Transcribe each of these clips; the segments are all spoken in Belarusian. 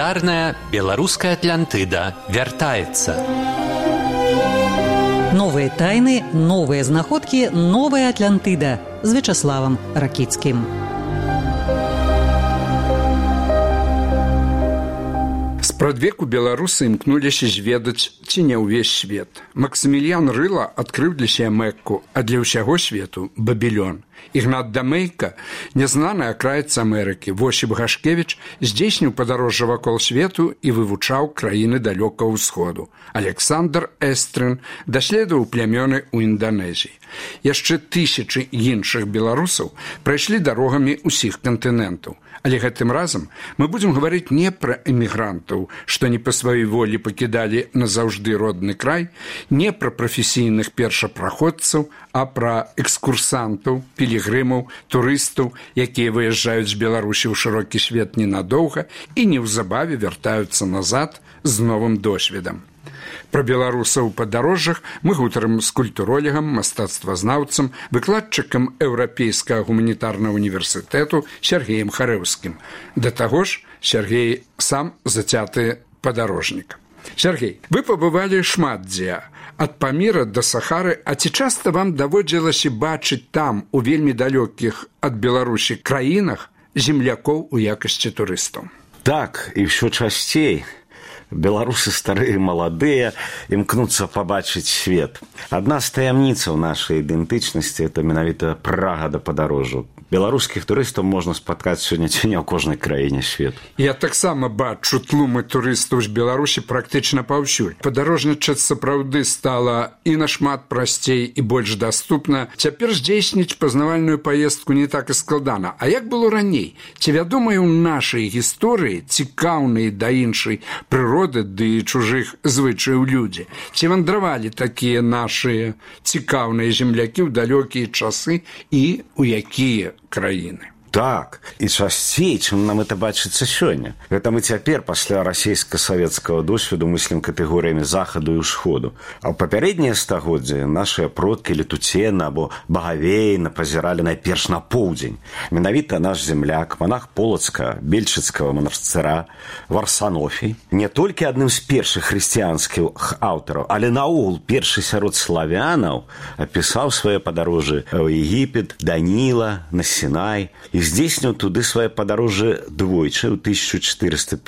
легендарная беларуская Атлантыда вяртаецца. Новые тайны, новые знаходкі, новая Атлантыда з Вячаславам Ракіцкім. Спрадвеку беларусы імкнуліся зведаць, ці не ўвесь свет. Максіміліян Рыла адкрыў для сябе Мекку, а для ўсяго свету – Бабілён. Ігнат Дамейка, нязнаны акраец Амерыкі, Восіп Гашкевіч здзейсніў падарожжа вакол свету і вывучаў краіны далёкага ўсходу. Александр Эстрын даследаваў плямёны ў Інданезіі. Яшчэ тысячы іншых беларусаў прайшлі дарогамі ўсіх кантынентаў. Але гэтым разам мы будзем гаварыць не пра эмігрантаў, што не па сваёй волі пакідалі назаўжды родны край, не пра прафесійных першапраходцаў, а пра экскурсантаў, пілігрымаў, турыстаў, якія выязджаюць з Беларусі ў шырокі свет ненадоўга і неўзабаве вяртаюцца назад з новым досведам. Пра беларусаў у падарожжах мы гутарым з культуролегам, мастацтвазнаўцам, выкладчыкам Еўрапейскага гуманітарнага універсітэту Сергеем Харэўскім. Да таго ж, Сергей сам зацяты падарожнік. Сергей, вы пабывалі шмат дзе, ад Паміра да Сахары, а ці часта вам даводзілася бачыць там, у вельмі далёкіх ад Беларусі краінах, землякоў у якасці турыстаў? Так, і ўсё часцей. Беларусы старыя, маладыя, імкнуцца пабачыць свет. Адна з таямніцаў нашай ідэнтычнасці – это менавіта прага да падарожжу. Беларускіх турыстаў можна спаткаць сёння ці не ў кожнай краіне свету. Я таксама бачу тлумы турыстаў з Беларусі практычна паўсюль. Падарожнічаць сапраўды стала і нашмат прасцей і больш даступна. Цяпер здзейсніць пазнавальную паездку не так і складана. А як было раней? Ці вядомыя ў нашай гісторыі цікаўныя да іншай прыроды ды чужых звычаяў людзі? Ці вандравалі такія нашыя цікаўныя землякі ў далёкія часы і ў якія краіны? Так, і часцей, чым нам это бачыцца сёння. Гэта мы цяпер пасля расійска-савецкага досведу мыслім катэгорыямі захаду і ўсходу. А ў папярэднія стагоддзі нашыя продкі Летуцена або Багавейна пазіралі найперш на поўдзень. Менавіта наш земляк, манах Полацка, Бельчыцкага манастыра, Варсанофій, не толькі адным з першых хрысціянскіх аўтараў, але наогул першы сярод славянаў апісаў свае падарожжы ў Егіпет, Даніла, на Сінай і здзейсніў туды свае падарожжы двойчы ў 1456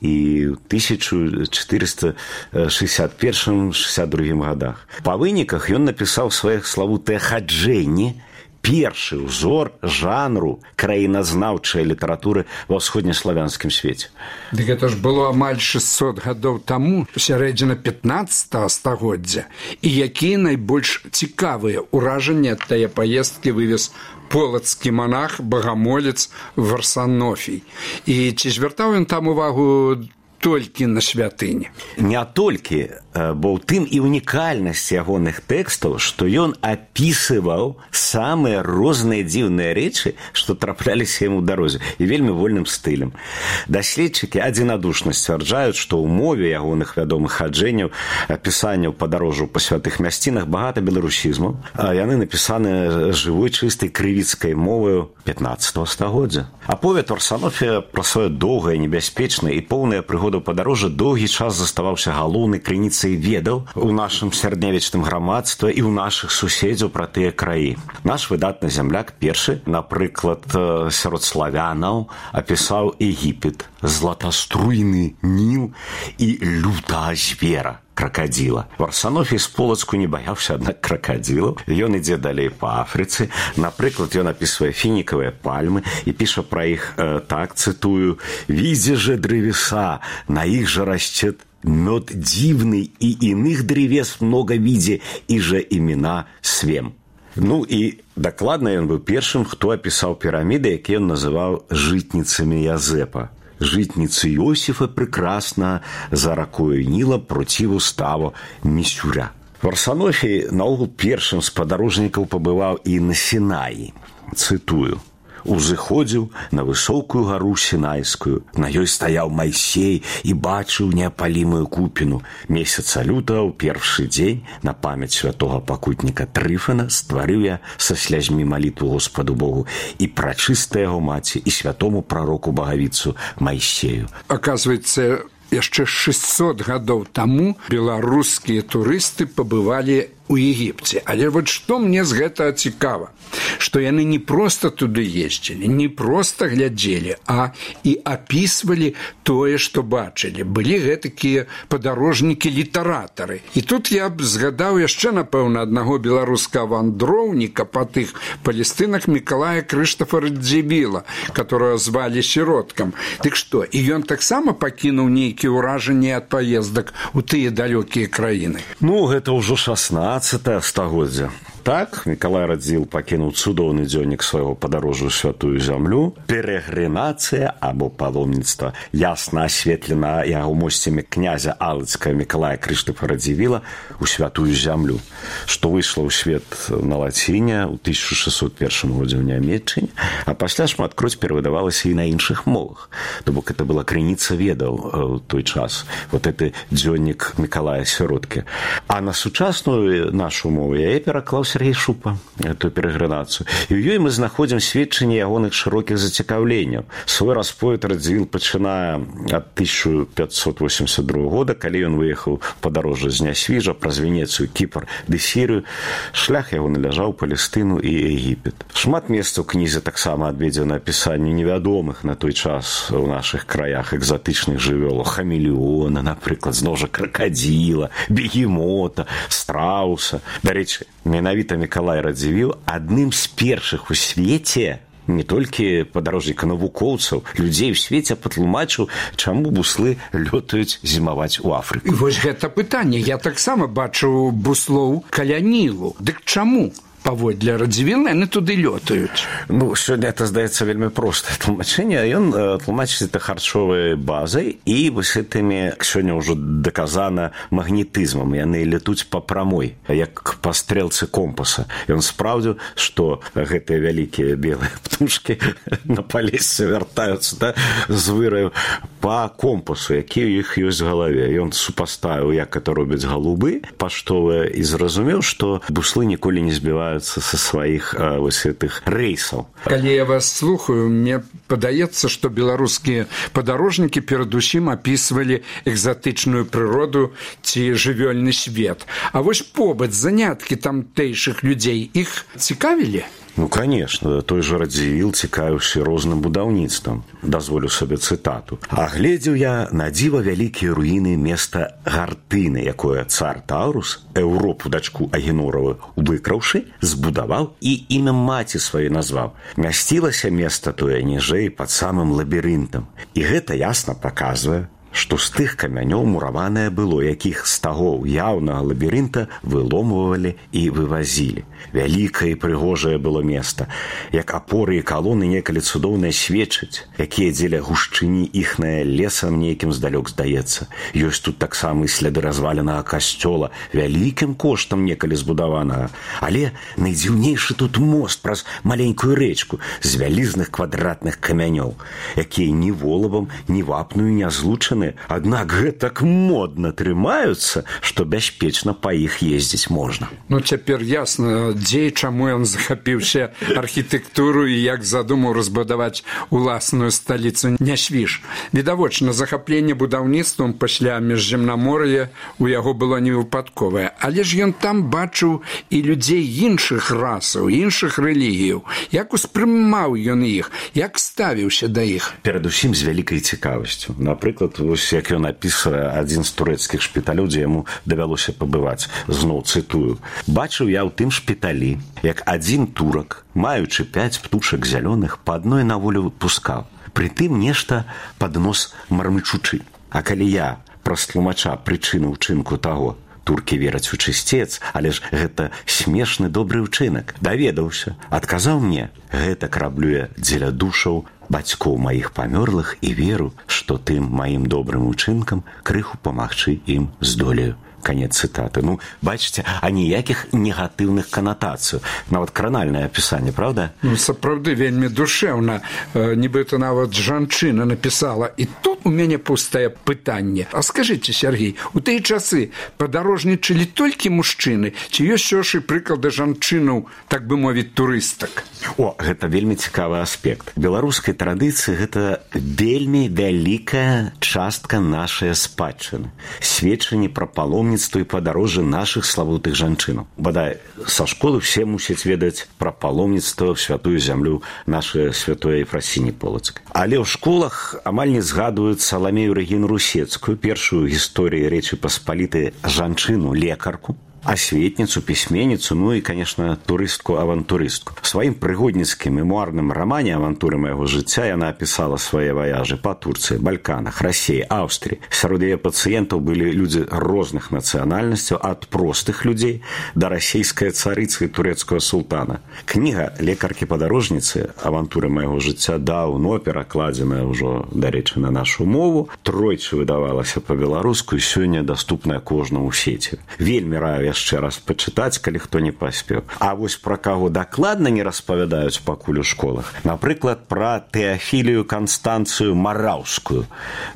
і ў 1461-62 годах. Па выніках ён напісаў сваіх славутыя хаджэнні, першы ўзор жанру краіназнаўчай літаратуры ва ўсходнеславянскім свеце. Дык гэта ж было амаль 600 гадоў таму, сярэдзіна 15 стагоддзя. І якія найбольш цікавыя ўражанні ад тае паездкі вывез полацкі манах, багамолец Варсанофій. І ці звяртаў ён там увагу толькі на святыні? Не толькі, бо ў тым і унікальнасць ягоных тэкстаў, што ён апісываў самыя розныя дзіўныя рэчы, што трапляліся яму ў дарозе, і вельмі вольным стылем. Даследчыкі адзінадушна сцвярджаюць, што ў мове ягоных вядомых хаджэнняў, апісанняў падарожжаў па святых мясцінах багата беларусізмаў, а яны напісаны жывой, чыстай крывіцкай моваю 15 стагоддзя. Аповед Варсанофія пра сваё доўгае, небяспечнае і поўнае прыгодаў падарожжа доўгі час заставаўся галоўнай крыніцай ведаў у нашым сярэднявечным грамадстве і ў нашых суседзяў пра тыя краі. Наш выдатны земляк першы, напрыклад, сярод славянаў, апісаў Егіпет, златаструйны Ніл і лютага звера, кракадзіла. Варсанофій з Полацку не баяўся, аднак, кракадзілаў. Ён ідзе далей па Афрыцы. Напрыклад, ён апісвае фінікавыя пальмы і піша пра іх так, цытую: «Видзе же древеса, на іх же расцет мёд дзіўны і іных древес много виде, і же імена свем». Ну і дакладна ён быў першым, хто апісаў піраміды, якія ён называў жытніцамі Язэпа. Житницы Иосифа прекрасно за ракою Ніла проців уставу Місюря. Варсанофій наогул першым з падарожнікаў пабываў і на Сінаі. Цытую: узыходзіў на высокую гару Сінайскую. На ёй стаяў Майсей і бачыў неапалімую купіну. Месяца лютага ў першы дзень на памяць святога пакутніка Трыфана стварыў я са слязьмі малітву Господу Богу і прачыстай яго маці і святому прароку Багавіцу Майсею. Оказывается, яшчэ 600 гадоў таму беларускія турысты пабывалі у Егіпце. Але вот што мне з гэтага цікава, што яны не проста туды ездзілі, не проста глядзелі, а і апісвалі тое, што бачылі. Былі гэтакія падарожнікі-літаратары. І тут я б згадаў яшчэ, напэўна, аднаго беларускага вандроўніка па тых палестынах Мікалая Крыштафа Радзівіла, которого звалі Сіроткам. Дык што, і ён таксама пакінуў нейкія ўражанні ад паездак у тыя далёкія краіны? Ну, гэта ўжо 16 стагоддзя. Так, Мікалай Радзівіл пакінуў цудоўны дзённік свайго падарожжа ў святую зямлю. Перэгрынацыя або паломніцтва ясна асветлена яго мосцямі князя Алыцкага Мікалая Крыштафа Радзівіла ў святую зямлю, што выйшла ў свет на лаціне ў 1601 годзе ў Нямецчыне, а пасля шматкроць перавыдавалася і на іншых мовах. То бок это была крыніца ведаў у той час. Вот это дзённік Мікалая Сіроткі. А на сучасную нашу мову я пераклаў Сергей Шупа, эту перэгрынацыю. І ў ёй мы знаходзім сведчанне ягоных шырокіх зацікаўленняў. Свой расповед Радзівіл пачынае ад 1582 года, калі ён выехаў падарожжа з Нясвіжа праз Венецыю, Кіпр ды Сірыю. Шлях яго наляжаў Палестыну і Егіпет. Шмат месцаў у кнізе таксама адведзена апісанню невядомых на той час у нашых краях экзатычных жывёлаў. Хамелеона, напрыклад, зноў жа кракадзіла, бегемота, страуса. Дарэчы, менавіта Мікалай Радзівіл адным з першых у свеце не толькі падарожніка-навукоўцаў, людзей у свеце патлумачыў, чаму буслы лётаюць зімаваць у Афрыку. І вось гэта пытанне. Я таксама бачыў буслоў каля Нілу. Дык чаму? Паводле Радзівіла яны туды лётаюць. Ну, сёння это, здаецца, вельмі простае тлумачэнне. Ён тлумачыць это харчовай базай і вось гэтымі сёння ўжо даказана магнетызмам. Яны летуць па прамой, як па стрэлцы компаса. Ён спраўдзіў, што гэтыя вялікія белыя птушкі на палесцы вяртаюцца з выраю па компасу, які ў іх ёсць в галаве. Ён супаставіў, як это робяць галубы паштовыя, і зразумеў, што буслы ніколі не збіваюцца са сваіх вось гэтых рэйсаў. Калі я вас слухаю, мне падаецца, што беларускія падарожнікі перадусім апісвалі экзатычную прыроду ці жывёльны свет. А вось побыт, заняткі тамтэйшых людзей іх цікавілі? Ну, конечно, той же Радзівіл цікавіўся розным будаўніцтвам. Дазволю сабе цытату. «Агледзеў я на дзіва вялікія руіны места Гартыны, якое цар Таурус, Еўропу дачку Агенораву выкраўшы, збудаваў і імя маці сваёй назваў. Мясцілася места тое ніжэй пад самым лабірынтам. І гэта ясна паказвае, што з тых камянёў мураванае было, якіх з таго яўнага лабірынта выломвалі і вывазілі. Вялікае і прыгожае было места, як апоры і калоны некалі цудоўныя сведчаць, якія дзеля гушчыні іхнае лесам нейкім здалёк здаецца. Ёсць тут таксама і сляды разваленага касцёла, вялікім коштам некалі збудаванага. Але найдзіўнейшы тут мост праз маленькую рэчку з вялізных квадратных камянёў, якія ні волавам, ні вапную не злучаны, аднак гэтак модна трымаюцца, што бяспечна па іх ездзіць можна. Ну, цяпер ясна, дзе і чаму ён захапіўся архітэктуру і як задумаў разбудаваць уласную сталіцу Нясвіж. Відавочна, захапленне будаўніцтвам пасля міжземнамор'я у яго было невыпадковае. Але ж ён там бачыў і людзей іншых расаў, іншых рэлігіяў. Як успрымаў ён іх, як ставіўся да іх? Перадусім з вялікай цікавасцю. Напрыклад, вось як ён апісвае адзін з турэцкіх шпіталёў, дзе яму давялося пабываць. Зноў цытую. «Бачыў я ў тым шпіталі, як адзін турак, маючы 5 птушак зялёных, па адной на волю выпускаў. Прытым нешта пад нос мармычучы. А калі я праз тлумача прычыну ўчынку таго, туркі вераць у чысцец, але ж гэта смешны добры ўчынак. Даведаўся, адказаў мне, гэта раблю я дзеля душаў бацькоў маіх памёрлых і веру, што тым маім добрым учынкам крыху памагчы ім здолею». Канец цытаты. Ну, бачыце, а ніякіх негатыўных канатацый. Нават кранальнае апісанне, правда? Ну, сапраўды вельмі душэўна. Нібыта нават жанчына напісала. І тут у мяне пустае пытанне. А скажыце, Сергей, у тыя часы падарожнічалі толькі мужчыны, ці ёсць ўжо прыклады жанчынаў, так бы мовіць, турыстак? О, гэта вельмі цікавы аспект. Беларускай традыцыі гэта вельмі вялікая частка нашай спадчыны. Сведчанні пра паломніцтва і падарожжы нашых славутых жанчынаў. Бадай, са школы все мусяць ведаць пра паломніцтва ў святую зямлю нашай святой Ефрасіні Полацкай. Але ў школах амаль не згадваюць Саламею Рэгіну Русецкую, першую гісторыі Рэчы Паспалітай жанчыну, лекарку, асветніцу, пісьменніцу, ну і, конечно, турыстку-авантурыстку. В сваім прыгодніцкім мемуарным рамане «Авантуры майго жыцця» яна апісала свае ваяжы па Турцыі, Балканах, Расіі, Аўстрыі. Сярод яе пацыентаў былі людзі розных нацыянальнасцяў, ад простых людзей да расійскай царыцы і турэцкага султана. Кніга лекаркі-падарожніцы «Авантуры майго жыцця» даўно перакладзеная ўжо, дарэчы, на нашу мову, тройчы выдавалася па-беларуску і сёння даступная кожнаму ў сеці. Вельмі раю яшчэ раз пачытаць, калі хто не паспеў. А вось пра каго дакладна не распавядаюць пакуль у школах. Напрыклад, пра Тэафілію Канстанцыю Мараўскую,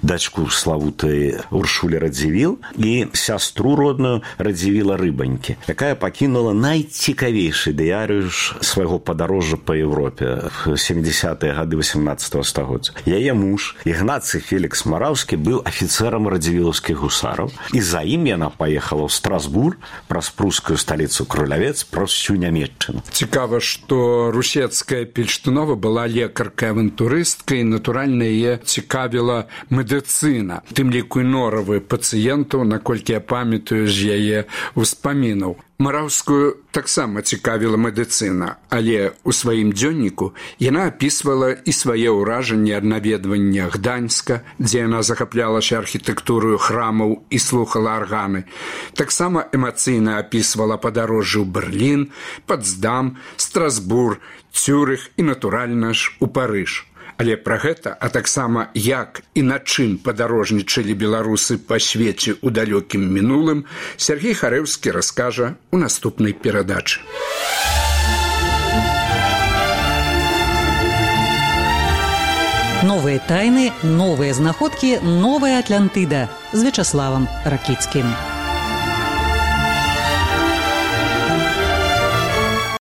дачку славутай Уршулі Радзівіл і сястру родную Радзівіла Рыбанькі, якая пакінула найцікавейшы дыярыш свайго падарожжа па Еўропе в 70-е гады 18-го стагоддзя. Яе муж, Ігнацый Фелікс Мараўскі, быў афіцэрам радзівілаўскіх гусараў, і за ім яна паехала ў Страсбург праз прускую сталіцу Крулявец, праз всю Нямецчыну. Цікава, што Русецкая Пельштунова была лекаркай-авантурысткай, і, натуральна, яе цікавіла медыцына, тым ліку і норавы пацыентаў, наколькі я памятаю з яе ўспамінаў. Мараўскую таксама цікавіла медыцына, але ў сваім дзённіку яна апісвала і свае ўражанні ад наведвання Гданьска, дзе яна захаплялася архітэктурою храмаў і слухала арганы. Таксама эмацыйна апісвала падарожжы ў Берлін, Потсдам, Страсбург, Цюрых і, натуральна ж, у Парыж. Але пра гэта, а таксама як і на чым падарожнічалі беларусы па свеце ў далёкім мінулым, Сергей Харэўскі раскажа ў наступнай перадачы. Новыя тайны, новыя знаходкі, новая Атлантыда з Вячаславам Ракіцкім.